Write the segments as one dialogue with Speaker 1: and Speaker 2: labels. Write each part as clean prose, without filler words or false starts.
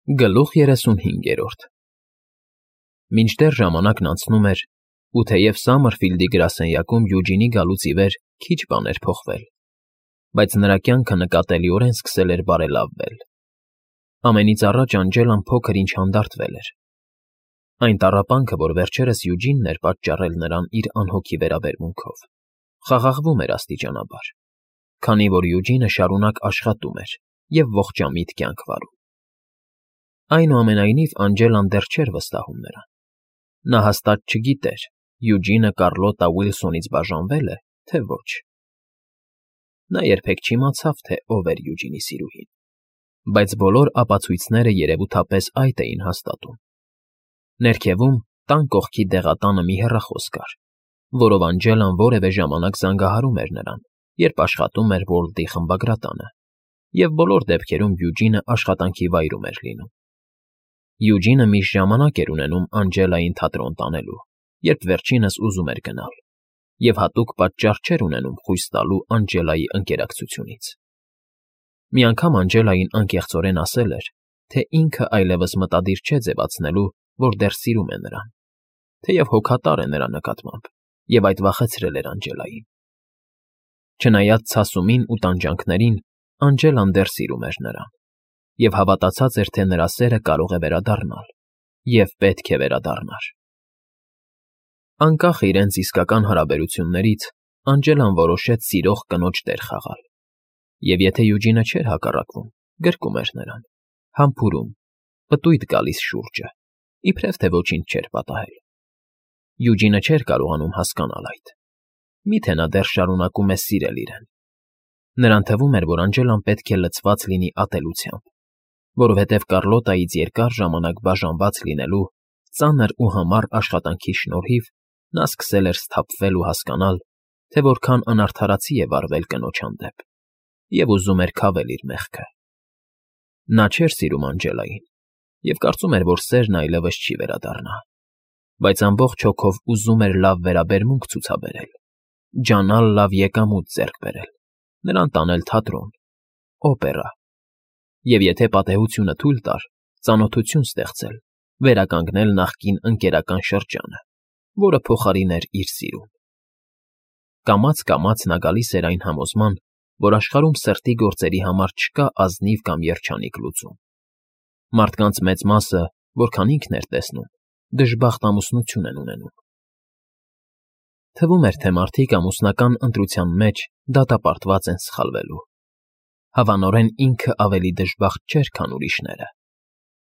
Speaker 1: Գլուխ 35 Մինչդեռ ժամանակն անցնում էր, ու թեև Սամմերֆիլդի գրասենյակում Յուջինի գալուց ի վեր քիչ բան էր փոխվել, բայց նրա կյանքը նկատելիորեն սկսել էր բարելավվել։ Ամենից առաջ Անջելան փոքր-ինչ հանդարտվել էր։ Այն տառապանքը, որ վերջերս Յուջինն էր պատճառել նրան իր անհոգի վերաբերմունքով, խաղաղվում էր աստիճանաբար, քանի որ Յուջինը շարունակ աշխատում էր և ողջամիտ կյանք վարում։ Այնուամենայնիվ Անջելան դեռ չէր վստահում նրան։ Նա հաստատ չգիտեր՝ Յուջինը Կառլոտա Ուիլսոնից բաժանվե՞լ է, թե ոչ։ Նա երբեք չիմացավ, թե ով էր Յուջինի սիրուհին, բայց բոլոր ապացույցները երևութապես այդ էին հաստատում։ Ներքևում, տան կողքի դեղատանը մի հեռախոս կար, որով Անջելան որևէ ժամանակ զանգահարում էր նրան, երբ աշխատում էր Ուոլտի խմբագրատանը, և բոլոր դեպքերում Յուջինը աշխատանքի վայրում էր լինում։ Յուջինը միշտ ժամանակ էր ունենում Անջելային թատրոն տանելու, երբ վերջինս ուզում էր գնալ, և հատուկ պատճառ չէր ունենում խույս տալու Անջելայի ընկերակցությունից։ Մի անգամ Անջելային անկեղծորեն ասել էր, թե ինքը այլևս մտադիր չէ ձևացնելու, որ դեռ սիրում է նրան, թեև հոգատար է նրա նկատմամբ, և այդ վախեցրել էր Անջելային։ Չնայած ցասումին ու տանջանքներին, Անջելան դեռ սիրում էր նրան, և հավատացած էր, թե նրա սերը կարող է վերադառնալ, և պետք է վերադառնար։ Անկախ իրենց իսկական հարաբերություններից, Անջելան որոշեց սիրող կնոջ դեր խաղալ, և եթե Յուջինը չէր հակառակվում, գրկում էր նրան, համբուրում, պտույտ գալիս շուրջը, իբրև թե ոչինչ չէր պատահել։ Յուջինը չէր կարողանում հասկանալ այդ։ Միթե նա դեռ շարունակում է սիրել իրեն։ Նրան թվում էր, որ Անջելան պետք է լցված լինի ատելությամբ, որովհետև Կառլոտայից երկար ժամանակ բաժանված լինելու ծանր ու համառ աշխատանքի շնորհիվ նա սկսել էր սթափվել ու հասկանալ, թե որքան անարդարացի է վարվել կնոջ հանդեպ, և ուզում էր քավել իր մեղքը։ Նա չէր սիրում Անջելային և կարծում էր, որ սերն այլևս չի վերադառնա, բայց ամբողջ հոգով ուզում էր լավ վերաբերմունք ցուցաբերել, ջանալ լավ եկամուտ ձեռք բերել, նրան տանել թատրոն, օպերա, և եթե պատեհությունը թույլ տար, ծանոթություն ստեղծել, վերականգնել նախկին ընկերական շրջանը, որը փոխարիներ իր սիրուն։ Կամաց֊կամաց նա գալիս էր այն համոզման, որ աշխարհում սրտի գործերի համար չկա ազնիվ կամ երջանիկ լուծում։ Մարդկանց մեծ մասը, որքան ինքն էր տեսնում, դժբախտ ամուսնություն են ունենում։ Թվում էր, թե մարդիկ ամուսնական ընտրության մեջ դատապարտված են սխալվելու։ Հավանորեն ինքը ավելի դժբախտ չէր, քան ուրիշները։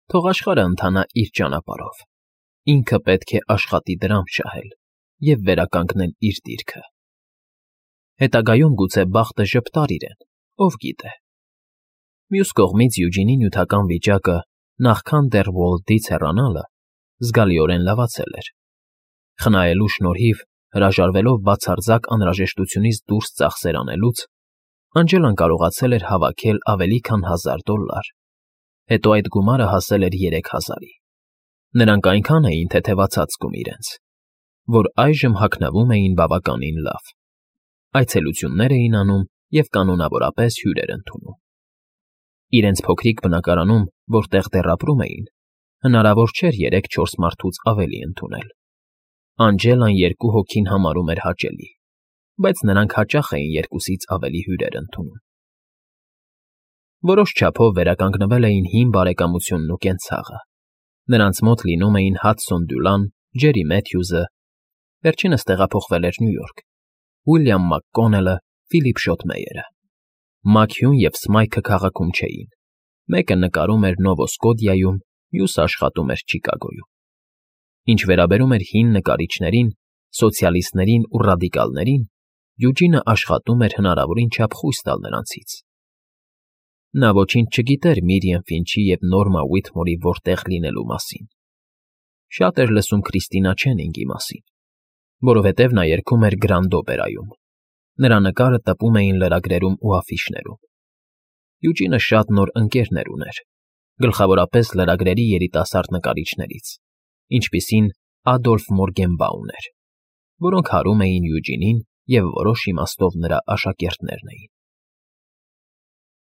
Speaker 1: Թող աշխարհը ընթանա իր ճանապարհով։ Ինքը պետք է աշխատի դրամ շահել և վերականգնել իր դիրքը։ Հետագայում գուցե բախտը ժպտար իրեն, ով գիտե։ Մյուս կողմից Յուջինի նյութական վիճակը, նախքան դեռ Ուոլտից հեռանալը, զգալիորեն լավացել էր։ Խնայելու շնորհիվ, հրաժարվելով բացարձակ անհրաժեշտությունից դուրս ծախսեր անելուց, Անջելան կարողացել էր հավաքել ավելի քան $1000, հետո այդ գումարը հասել էր 3000-ի։ Նրանք այնքան էին թեթևացած զգում իրենց, որ այժմ հագնվում էին բավականին լավ։ Այցելություններ էին անում և կանոնավորապես հյուրեր ընդունում։ Իրենց փոքրիկ բնակարանում, որտեղ դեռ ապրում էին, հնարավոր չէր 3-4 մարդուց ավելի ընդունել։ Անջելան 2 հոգին համարում էր հաճելի, բայց նրանք հաճախ էին 2-ից ավելի հյուրեր ընդունում։ Որոշ չափով վերականգնվել էին հին բարեկամությունն ու կենցաղը։ Նրանց մոտ լինում էին Հադսոն Դյուլան, Ջերի Մեթյուզը, վերջինս տեղափոխվել էր Նյու Յորք, Ուիլյամ Մակկոնելը, Ֆիլիպ Շոթմեյերը։ Մաքյուն և Սմայքը քաղաքում չէին։ Մեկը նկարում էր Նովո Սկոտիայում, մյուսը աշխատում էր Չիկագոյում։ Ինչ վերաբերում էր հին նկարիչներին, սոցիալիստներին ու ռադիկալներին, Յուջինը աշխատում էր հնարավորին չափ խույս տալ նրանցից։ Նա ոչինչ չգիտեր Միրիամ Ֆինչի և Նորմա Ուիթմորի որտեղ լինելու մասին։ Շատ էր լսում Քրիստինա Չենինգի մասին, որովհետև նա երգում էր Գրանդ Օպերայում։ Նրա նկարը տպում էին լրագրերում ու աֆիշներում։ Յուջինը շատ նոր ընկերներ ուներ, գլխավորապես լրագրերի երիտասարդ նկարիչներից, ինչպիսին Ադոլֆ Մորգենբաուն էր, որոնք հարում էին Յուջինին և որոշ իմաստով նրա աշակերտներն էին։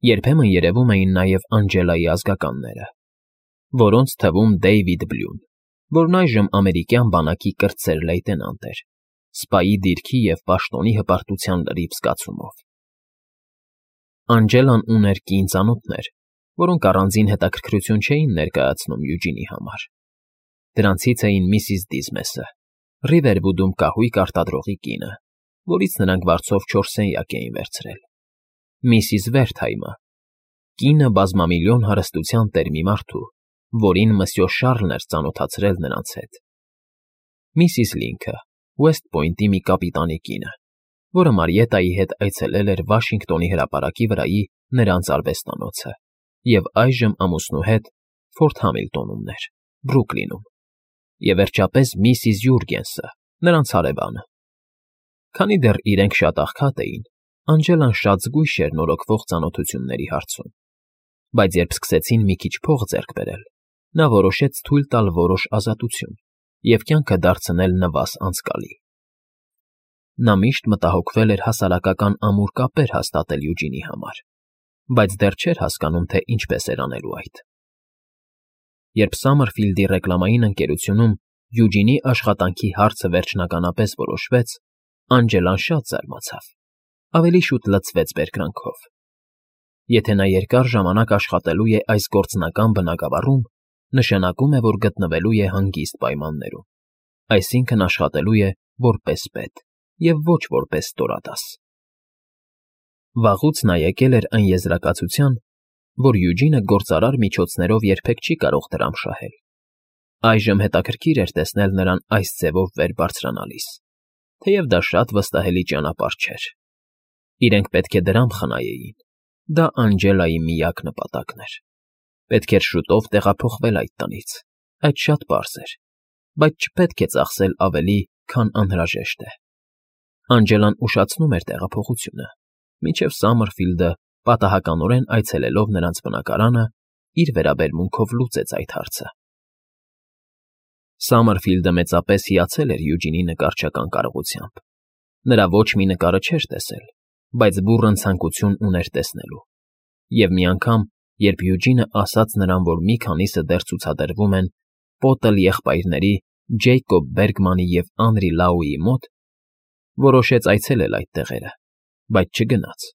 Speaker 1: Երբեմն երևում էին նաև Անջելայի ազգականները։ որոնց թվում Դեյվիդ Բլյուն, որն այժմ ամերիկյան բանակի կրտսեր լեյտենանտ էր, սպայի դիրքի և պաշտոնի հպարտության լրիվ զգացումով։ Անջելան ուներ կին ծանոթներ, որոնք առանձին հետաքրքրություն չէին ներկայացնում Յուջինի համար։ Դրանցից էին միսիս Դիզմեսը, Ռիվերվուդում կահույք արտադրողի կինը, որից նրանք վարձով 4 սենյակ էին վերցրել, միսիս Վերթհայմը, կինը բազմամիլիոն հարստության տեր մի մարդու, որին մսյո Շառլն էր ծանոթացրել նրանց հետ, միսիս Լինքը, Ուեսթ Պոյնտի մի կապիտանի կինը, որը Մարիետայի հետ այցելել էր Վաշինգտոնի հրապարակի վրայի նրանց արվեստանոցը և այժմ ամուսնու հետ Ֆորթ Համիլտոնում էր, Բրուքլինում, և վերջապես միսիս Յուրգենսը, նրանց հարևանը։ Քանի դեռ իրենք շատ աղքատ էին, Անջելան շատ զգույշ էր նորոգվող ծանոթությունների հարցում, բայց երբ սկսեցին մի քիչ փող ձեռք բերել, նա որոշեց թույլ տալ որոշ ազատություն և կյանքը դարձնել նվազ անցկալի։ Նա միշտ մտահոգվել էր հասարակական ամուր կապեր հաստատել Յուջինի համար, բայց դեռ չէր հասկանում, թե ինչպես էր անելու այդ։ Երբ Սամմերֆիլդի ռեկլամային ընկերությունում Յուջինի աշխատանքի հարցը վերջնականապես որոշվեց, Անջելան շատ զարմացավ, ավելի շուտ լցվեց բերկրանքով։ Եթե նա երկար ժամանակ աշխատելու է այս գործնական բնագավառում, նշանակում է, որ գտնվելու է հանգիստ պայմաններում, այսինքն աշխատելու է որպես պետ և ոչ որպես ստորադաս։ Վաղուց նա եկել էր այն եզրակացության, որ Յուջինը գործարար միջոցներով երբեք չի կարող դրամ շահել։ Այժմ հետաքրքիր էր տեսնել նրան այս ձևով վեր բարձրանալիս, թեև դա շատ վստահելի ճանապարհ չէր։ Իրենք պետք է դրամ խնայեին, դա Անջելայի միակ նպատակն էր։ Պետք էր շուտով տեղափոխվել այդ տնից, այդ շատ պարզ էր, բայց չպետք է ծախսել ավելի, քան անհրաժեշտ է։ Անջելան ուշացնում էր տեղափոխությունը, մինչև Սամմերֆիլդը, պատահականորեն այցելելով նրանց բնակարանը, իր վերաբերմունքով լուծեց այդ հարցը։ Սամմերֆիլդը մեծապես հիացել էր Յուջինի նկարչական կարողությամբ։ Նրա ոչ մի նկարը չէր տեսել, բայց բուռն ցանկություն ուներ տեսնելու։ Եվ մի անգամ, երբ Յուջինը ասաց նրան, որ մի քանիսը դեռ ցուցադրվում են Պոտլ եղբայրների Ջեյկոբ Բերգմանի և Անրի Լաուի մոտ, որոշեց այցելել այդ տեղերը, բայց չգնաց։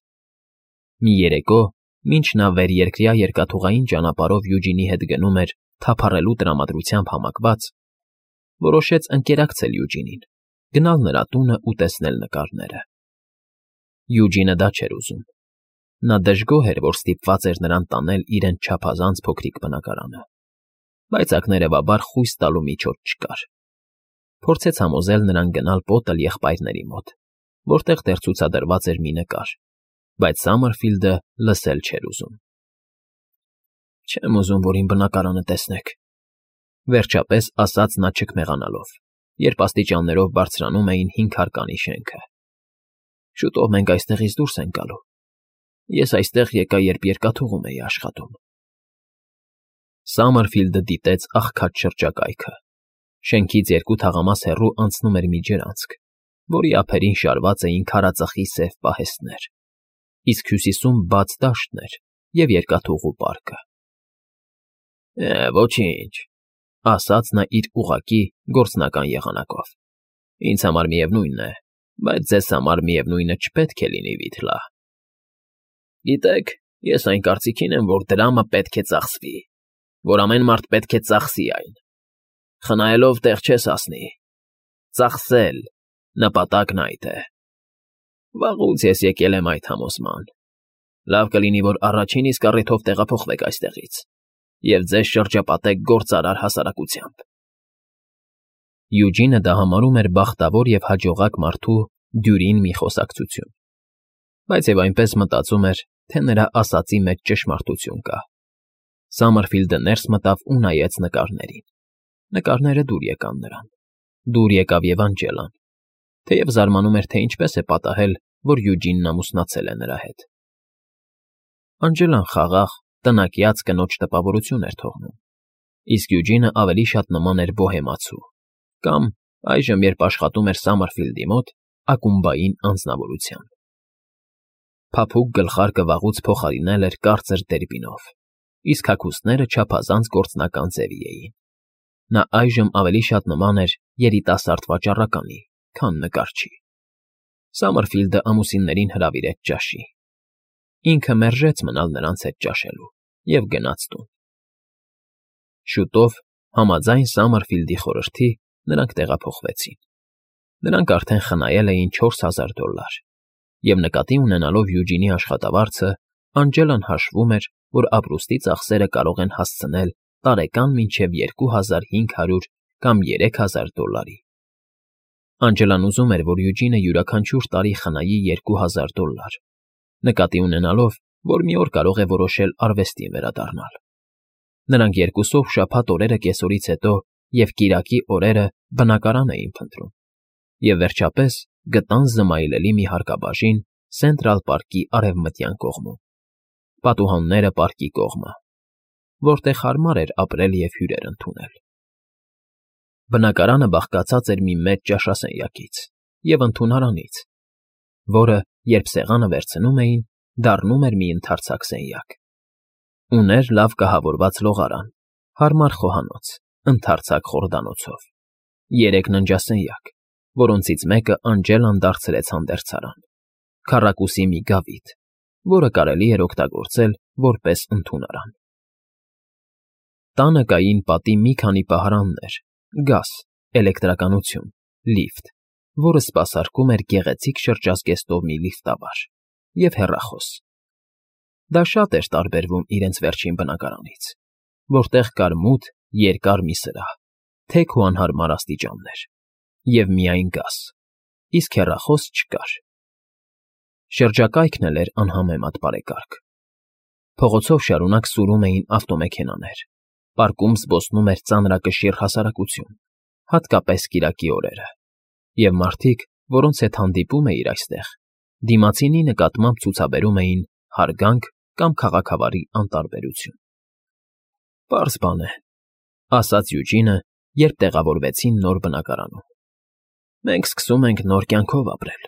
Speaker 1: Մի երեկո, մինչ նա վերերկրյա երկաթուղային ճանապարհով Յուջինի հետ գնում էր թափառելու տրամադրությամբ համակված, որոշեց ընկերակցել Յուջինին, գնալ նրա տունը ու տեսնել նկարները։ Յուջինը դա չէր ուզում։ Նա դժգոհ էր, որ ստիպված էր նրան տանել իրենց չափազանց փոքրիկ բնակարանը, բայց ակներևաբար խույս տալու միջոց չկար։ Փորձեց համոզել նրան գնալ Պոտլ եղբայրների մոտ, որտեղ դեռ ցուցադրված էր մի նկար, բայց Սամմերֆիլդը լսել չէր ուզում։ Չեմ ուզում, որ իմ բնակարանը տեսնեք, վերջապես ասաց նա չքմեղանալով, երբ աստիճաններով բարձրանում էին 5 հարկանի շենքը։ Շուտով մենք այստեղից դուրս ենք գալու։ Ես այստեղ եկա, երբ երկաթուղում էի աշխատում։ Սամմերֆիլդը դիտեց աղքատ շրջակայքը։ Շենքից 2 թաղամաս հեռու անցնում էր մի ջրանցք, որի ափերին շարված էին քարածխի սև պահեստներ, իսկ հյուսիսում բաց դաշտներ և երկաթուղու պարկը։ Ոչինչ, ասաց նա իր ուղղակի գործնական եղանակով։ Ինձ համար միևնույն է, բայց ձեզ համար միևնույնը չպետք է լինի, Վիթլա։ Գիտեք, ես այն կարծիքին եմ, որ դրամը պետք է ծախսվի, որ ամեն մարդ պետք է ծախսի այն։ Խնայելով տեղ չես հասնի։ Ծախսել, նպատակն այդ է։ Վաղուց ես եկել եմ այդ համոզման։ Լավ կլինի, որ առաջին իսկ առիթով տեղափոխվեք այստեղից և ձեզ շրջապատեք գործարար հասարակությամբ։ Յուջինը դա համարում էր բախտավոր և հաջողակ մարդու դյուրին մի խոսակցություն, բայց և այնպես մտածում էր, թե նրա ասածի մեջ ճշմարտություն կա։ Սամմերֆիլդը ներս մտավ ու նայեց նկարներին։ Նկարները դուր եկան նրան։ Դուր եկավ և Անջելան, թեև զարմանում էր, թե ինչպես է պատահել, որ Յուջինն ամուսնացել է նրա հետ։ Անջելան խաղաղ, տնակյաց կնոջ տպավորություն էր թողնում, իսկ Յուջինը ավելի շատ նման էր բոհեմացու կամ, այժմ երբ աշխատում էր Սամմերֆիլդի մոտ, ակումբային անձնավորության։ Փափուկ գլխարկը վաղուց փոխարինել էր կարծր դերբինով, իսկ հագուստները չափազանց գործնական ձևի էին։ Նա այժմ ավելի շատ նման էր երիտասարդ վաճառականի, քան նկարչի։ Սամերֆիլդը ամուսիններին հրավիրեց ճաշի։ Ինքը մերժեց մնալ նրանց հետ ճաշելու և գնաց տուն։ Շուտով, համաձայն Սամերֆիլդի խորհրդի, նրանք տեղափոխվեցին։ Նրանք արդեն խնայել էին $4000, և նկատի ունենալով Յուջինի աշխատավարձը, Անջելան հաշվում էր, որ ապրուստի ծախսերը կարող են հասցնել տարեկան մինչև $2500 կամ $3000։ Անջելան ուզում էր, որ Յուջինը յուրաքանչյուր տարի խնայի $2000, նկատի ունենալով, որ մի օր կարող է որոշել արվեստին վերադառնալ։ Նրանք երկուսով շաբաթ օրերը կեսօրից հետո և կիրակի օրերը բնակարան էին փնտրում, և վերջապես գտան զմայլելի մի հարկաբաժին Սենտրալ պարկի արևմտյան կողմում, պատուհանները պարկի կողմը, որտեղ հարմար էր ապրել և հյուրեր ընդունել։ Բնակարանը բաղկացած էր մի մեծ ճաշասենյակից և ընդունարանից, որը, երբ սեղանը վերցնում էին, դառնում էր մի ընդարձակ սենյակ։ Ուներ լավ կահավորված լողարան, հարմար խոհանոց, ընդարձակ խորդանոցով, 3 ննջասենյակ, որոնցից մեկը Անջելան դարձրեց հանդերձարան, քառակուսի մի գավիթ, որը կարելի էր օգտագործել որպես ընդունարան։ Տանը կային պատի մի քանի պահարաններ, գազ, էլեկտրականություն, լիֆտ, որը սպասարկում էր գեղեցիկ շրջազգեստով մի լիֆտավար, և հեռախոս։ Դա շատ էր տարբերվում իրենց վերջին բնակարանից, որտեղ կար մութ, երկար մի սրահ, թեք ու անհարմար աստիճաններ, և միայն գազ, իսկ հեռախոս չկար։ Շրջակայքն էլ էր անհամեմատ բարեկարգ։ Փողոցով շարունակ սուրում էին ավտոմեքենաներ, պարկում զբոսնում էր ծանրակշիռ հասարակություն, հատկապես կիրակի օրերը, և մարդիկ, որոնց հետ հանդիպում էիր այստեղ, դիմացինի նկատմամբ ցուցաբերում էին հարգանք կամ քաղաքավարի անտարբերություն։ «Պարզ բան է,֊ ասաց Յուջինը, երբ տեղավորվեցին նոր բնակարանում,֊ մենք սկսում ենք նոր կյանքով ապրել»։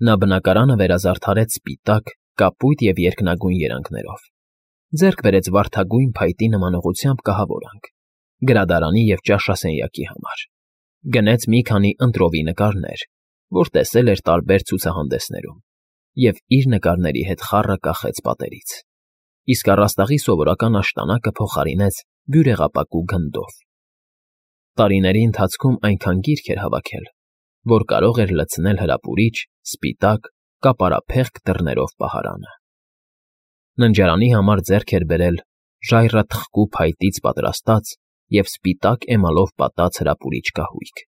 Speaker 1: Նա բնակարանը վերազարդարեց սպիտակ, կապույտ և երկնագույն երանգներով, ձեռք բերեց վարդագույն փայտի նմանողությամբ կահավորանք, գրադարանի և ճաշասենյակի համար, գնեց մի քանի ընտրովի նկարներ, որ տեսել էր տարբեր ցուցահանդեսներում, և իր նկարների հետ խառը կախեց պատերից, իսկ առաստաղի սովորական աշտանակը փոխարինեց բյուրեղապակու գնդով։ Տարիների ընթացքում այնքան գիրք էր հավաքել, որ կարող էր լցնել հրապուրիչ, սպիտակ, կապարափեղկ դռներով պահարանը։ Ննջարանի համար ձեռք էր բերել ժայռաթխկու փայտից պատրաստած և սպիտակ էմալով պատած հրապուրիչ կահույք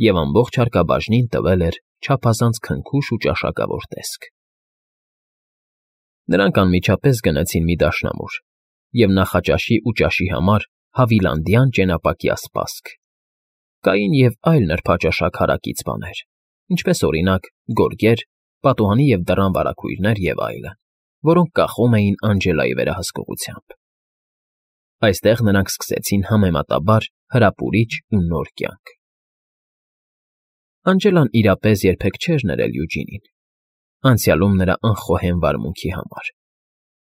Speaker 1: և ամբողջ հարկաբաժնին տվել էր չափազանց քնքուշ ու ճաշակավոր տեսք։ Նրանք անմիջապես գնացին մի դաշնամուր և նախաճաշի ու ճաշի համար հավիլանդյան ճենապակյա սպասք։ Կային և այլ նրբաճաշակ հարակից բաներ, ինչպես, օրինակ, գորգեր, պատուհանի և դռան վարագույրներ և այլն, որոնք կախում էին Անջելայի վերահսկողությամբ։ Այստեղ նրանք սկսեցին համեմատաբար հրապուրիչ ու նոր կյանք։ Անջելան իրապես երբեք չէր ներել Յուջինին, անցյալում նրա անխոհեմ վարմունքի համար,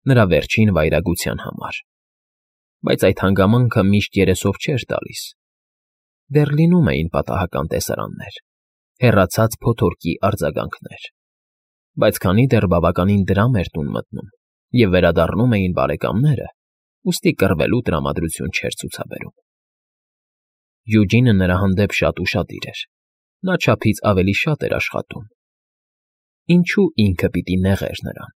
Speaker 1: նրա վերջին վայրագության համար, բայց այդ հանգամանքը միշտ երեսով չէր տալիս։ Դեռ լինում էին պատահական տեսարաններ, հեռացած փոթորկի արձագանքներ, բայց քանի դեռ բավականին դրամ էր տուն մտնում և վերադառնում էին բարեկամները, ուստի կռվելու տրամադրություն չէր ցուցաբերում։ Յուջինը նրա հանդեպ շատ ուշադիր էր, նա չափից ավելի շատ էր աշխատում։ Ինչո՞ւ ինքը պիտի նեղեր նրան։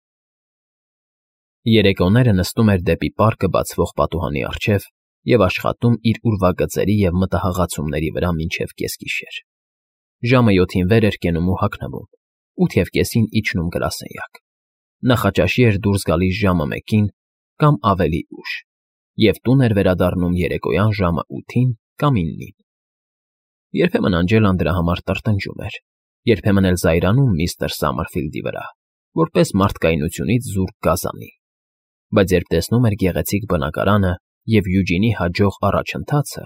Speaker 1: Երեկոները նստում էր դեպի պարկը բացվող պատուհանի առջև և աշխատում իր ուրվագծերի և մտահղացումների վրա մինչև կեսգիշեր։ Ժամը 7-ին վեր էր կենում ու հագնվում, 8:30-ին իջնում գրասենյակ, նախաճաշի էր դուրս գալիս ժամը 1-ին կամ ավելի ուշ և տուն էր վերադառնում երեկոյան ժամը 8-ին կամ 9-ին։ Երբեմն Անջելան դրա համար տրտնջում էր, երբեմն էլ զայրանում միստր Սամերֆիլդի վրա, որպես մարդկայնությունից զուրկ գազանի, բայց երբ տեսնում էր գեղեցիկ բնակարանը և Յուջինի հաջող առաջընթացը,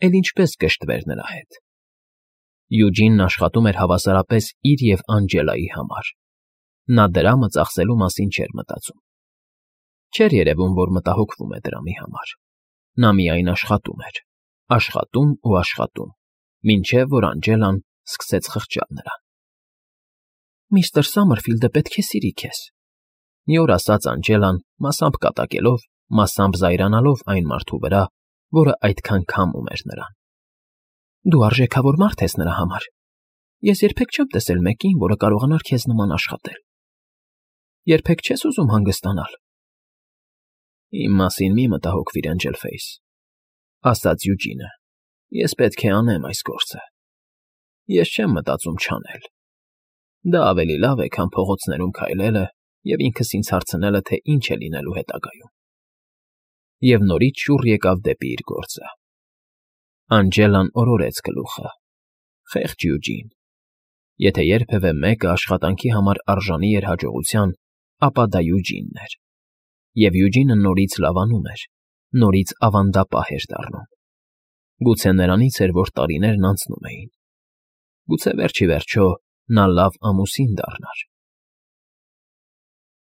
Speaker 1: էլ ինչպես կշտվեր նրա հետ։ Յուջինն աշխատում էր հավասարապես իր և Անջելայի համար։ Նա դրամը ծախսելու մասին չէր մտածում։ Չէր երևում, որ մտահոգվում է դրամի համար։ Նա միայն աշխատում էր, աշխատում ու աշխատում, մինչև որ Անջելան սկսեց խղճալ նրան։ «Միստր Սամերֆիլդը պետք է սիրի քեզ», մի օր ասաց Անջելան, մասամբ կատակելով, մասամբ զայրանալով այն մարդու վրա, որը այդքան քամում էր նրան։ «Դու արժեքավոր մարդ ես նրա համար։ Ես երբեք չեմ տեսել մեկին, որը կարողանար քեզ նման աշխատել։ Երբեք չես ուզում հանգստանալ»։ «Իմ մասին մի մտահոգվիր, Էնջելֆեյս», ասաց Յուջինը։ «Ես պետք է անեմ այս գործը։ Ես չեմ մտածում չանել։ Դա ավելի լավ է, քան փողոցներում քայլելը և ինքս ինձ հարցնելը, թե ինչ է լինելու հետագայում»։ Եվ նորից շուռ եկավ դեպի իր գործը։ Անջելան օրորեց գլուխը։ Խեղճ Յուջին։ Եթե երբևէ մեկը աշխատանքի համար արժանի էր հաջողության, ապա դա Յուջինն էր։ Եվ Յուջինը նորից լավանում էր, նորից ավանդապահ էր դառնում։ Գուցե նրանից էր, որ տարիներն անցնում էին։ Գուցե վերջ ի վերջո նա լավ ամուսին դառնար։